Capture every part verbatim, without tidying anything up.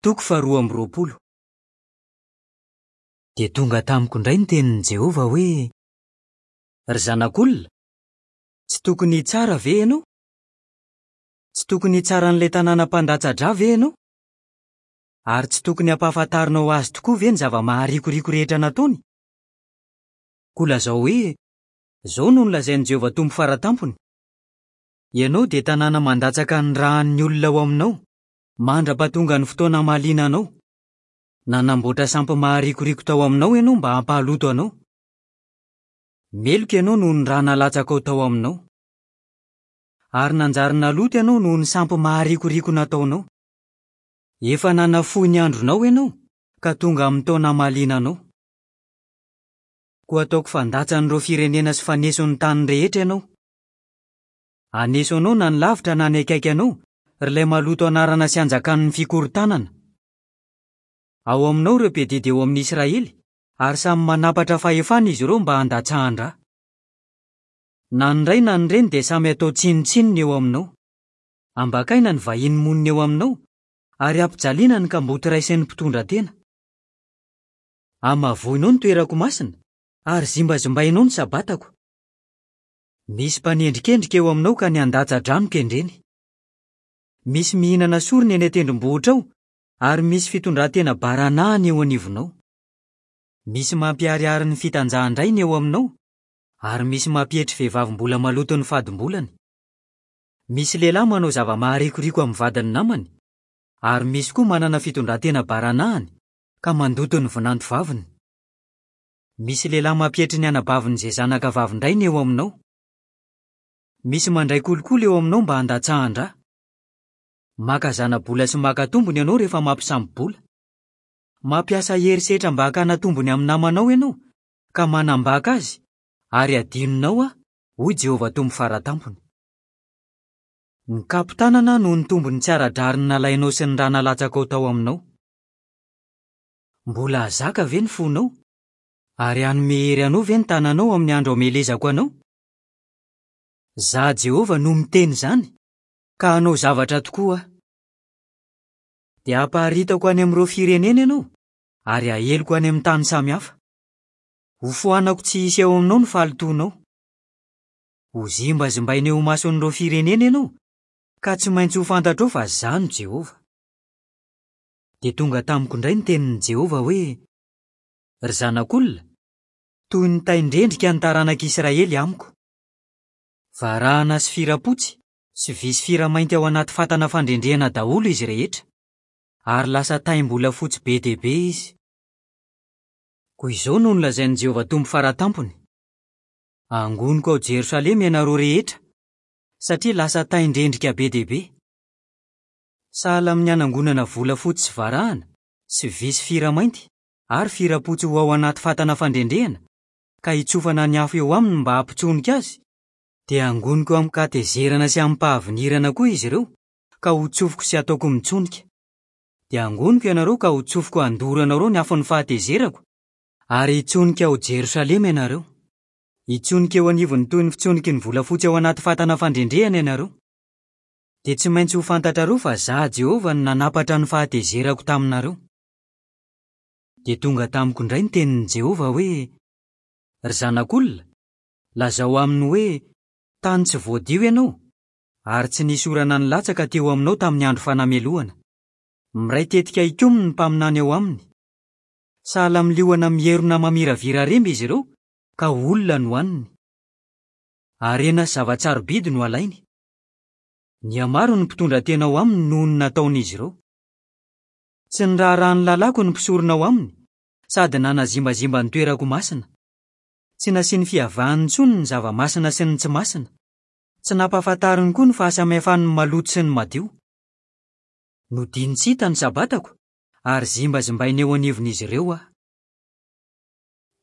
Toko faharoa amby roapolo. Dia tonga tamiko indray ny tenin'i Jehovah hoe: Ry zanak'olona, tsy tokony hitsara ve ianao? Tsy tokony hitsara an'ilay tanàna mpandatsa-drà ve ianao? Ary tsy tokony hampahafantarinao azy tokoa ve ny zava-maharikoriko rehetra nataony? Koa lazao hoe: Izao no nolazain'i Jehovah Tompo Fara Tampony: Ianao dia tanàna mandatsaka ny ràn'ny olona ao aminao, mandra-pahatonga ny fotoana hamaliana anao. Nanamboatra sampy maharikoriko tao aminao ianao mba hampahaloto anao. Meloka ianao noho ny rà nalatsakao tao aminao. Ary nanjary naloto ianao noho ny sampy maharikoriko nataonao. Efa nanafohy ny andronao ianao, ka tonga amin'ny taona hamaliana anao. Koa ataoko fandatsan'ireo firenena sy faneson'ny tany rehetra ianao. Haneso anao na ny lavitra na ny akaiky anao, ry ilay maloto anarana sy anjakan'ny fikorontanana. Ao aminao ireo mpiadidy eo amin'ny Israely, ary samy manampatra fahefana izy ireo mba handatsahan-drà. Na ny ray na ny reny dia samy atao tsinontsinona eo aminao. Ambakaina ny vahiny monina eo aminao, ary ampijaliana ny kamboty ray sy ny mpitondra tena. Hamavoinao ny toerako masina, ary zimbazimbainao ny sabatako. Misy mpanendrikendrika eo aminao ka ny handatsa-drà no kendreny. Misy mihinana sorona eny an-tendrombohitra ao, ary misy fitondran-tena baranahiny eo anivonao. Misy mampiharihary ny fitanjahan-drainy eo aminao, ary misy mampietry vehivavy mbola maloto ny fadimbolany. Misy lehilahy manao zava-maharikoriko amin'ny vadin'ny namany, ary misy koa manana fitondran-tena baranahiny ka mandoto ny vinanto vaviny. Misy lehilahy mampietry ny anabaviny izay zanaka vavin-drainy eo aminao. Misy mandray kolikoly eo aminao mba handatsahan-drà. Maka zana-bola sy maka tombony ianao rehefa mampisambo-bola. Mampiasa herisetra mba hakana tombony amin'ny namanao ianao, ka manambaka azy, ary adinonao aho, hoy Jehovah Tompo Fara Tampony. Ny kapo-tanana noho ny tombony tsy ara-drariny nalainao sy ny rà nalatsakao tao aminao. Mbola hahazaka ve ny fonao? Ary hanome hery anao ve ny tananao amin'ny andro hamelezako anao? Izaho Jehovah no miteny izany, ka hanao zavatra tokoa aho. Dia hamparitako any amin'ireo firenena ianao, ary haeloko any amin'ny tany samihafa. Hofoanako tsy hisy eo aminao ny fahalotoanao. Ho zimbazimbaina eo imason'ireo firenena ianao, ka tsy maintsy ho fantatrao fa izaho no Jehovah. Dia tonga tamiko indray ny tenin'i Jehovah hoe: Ry zanak'olona, toy ny tain-drendrika ny taranak'Israely amiko. Varahana sy firapotsy sy vy sy firamainty ao anaty fatana fandrendrehana daholo izy rehetra, ary lasa taim-bolafotsy be dia be izy. Koa izao no nolazain'i Jehovah Tompo Fara Tampony: Angoniko ao Jerosalema ianareo rehetra, satria lasa tain-drendrika be dia be. Sahala amin'ny hanangonana volafotsy sy varahana, sy vy sy firamainty ary firapotsy ho ao anaty fatana fandrendrehana, ka hitsofana ny afo eo aminy mba hampitsonika azy, dia angoniko amin-katezerana sy amim-pahavinirana koa izy ireo, ka hotsofiko sy ataoko mitsonika. Dia angoniko ianareo ka hotsofiko handoro anareo ny afon'ny fahatezerako, ary hitsonika ao Jerosalema ianareo. Hitsonika eo anivony toy ny fitsoniky ny volafotsy ao anaty fatana fandrendrehana ianareo. Dia tsy maintsy ho fantatrareo fa izaho Jehovah no nanampatra ny fahatezerako taminareo. Dia tonga tamiko indray ny tenin'i Jehovah hoe: Ry zanak'olona, lazao aminy hoe: Tany tsy voadio ianao, ary tsy nisy orana nilatsaka teo aminao tamin'ny andro fanamelohana. Miray tetika hikomy ny mpaminany eo aminy. Sahala amin'ny liona mierona mamiravira remby izy ireo, ka olona no haniny. Harena sy zava-tsarobidy no alainy. Nihamaro ny mpitondra tena ao aminy noho ny nataon'izy ireo. Tsy niraharaha ny lalàko ny mpisorona ao aminy, sady nanazimbazimba ny toerako masina. Tsy nasiany fiavahany intsony ny zava-masina sy ny tsy masina. Tsy nampahafantariny koa ny fahasamihafan'ny maloto sy ny madio. Nodiny tsy hita ny sabatako, ary zimbazimbaina eo anivon'izy ireo aho.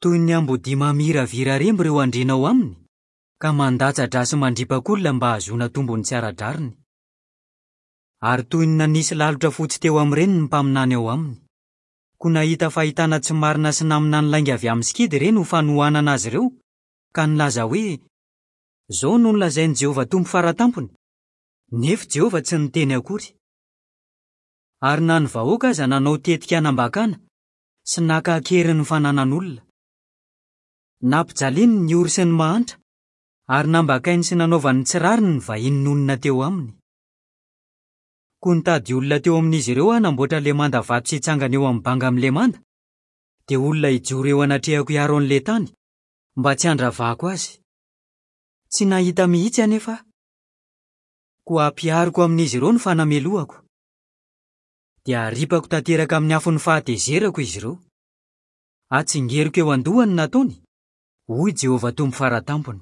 Toy ny ambodia mamiravira remby ireo andriana ao aminy, ka mandatsa-drà sy mandripak'olona mba hahazoana tombony tsy ara-drariny. Ary toy ny nanisy lalotra fotsy teo amin'ireny ny mpaminany ao aminy. Koa nahita fahitana tsy marina sy naminany lainga avy amin'ny sikidy ireny ho fanohanana azy ireo, ka nilaza hoe: Izao no nolazain'i Jehovah Tompo Fara Tampony, nefa Jehovah tsy niteny akory. Ary na ny vahoaka aza nanao tetika hanambakana sy naka an-keriny ny fananan'olona. Nampijaliany ny ory sy ny mahantra, ary nambakainy sy nanaovany ny tsy rariny ny vahiny nonina teo aminy. Koa nitady olona teo amin'izy ireo aho hanamboatra ilay manda vato sy hitsangana eo amin'ny banga amin'ilay manda, dia olona hijoro eo anatrehako hiaro an'ilay tany, mba tsy handravako azy. Tsy nahita mihitsy anefa aho. Koa hampihariko amin'izy ireo ny fanamelohako. Dia haripako tanteraka amin'ny afon'ny fahatezerako izy ireo. Hatsingeriko eo an-dohany ny nataony, hoy Jehovah Tompo Fara Tampony.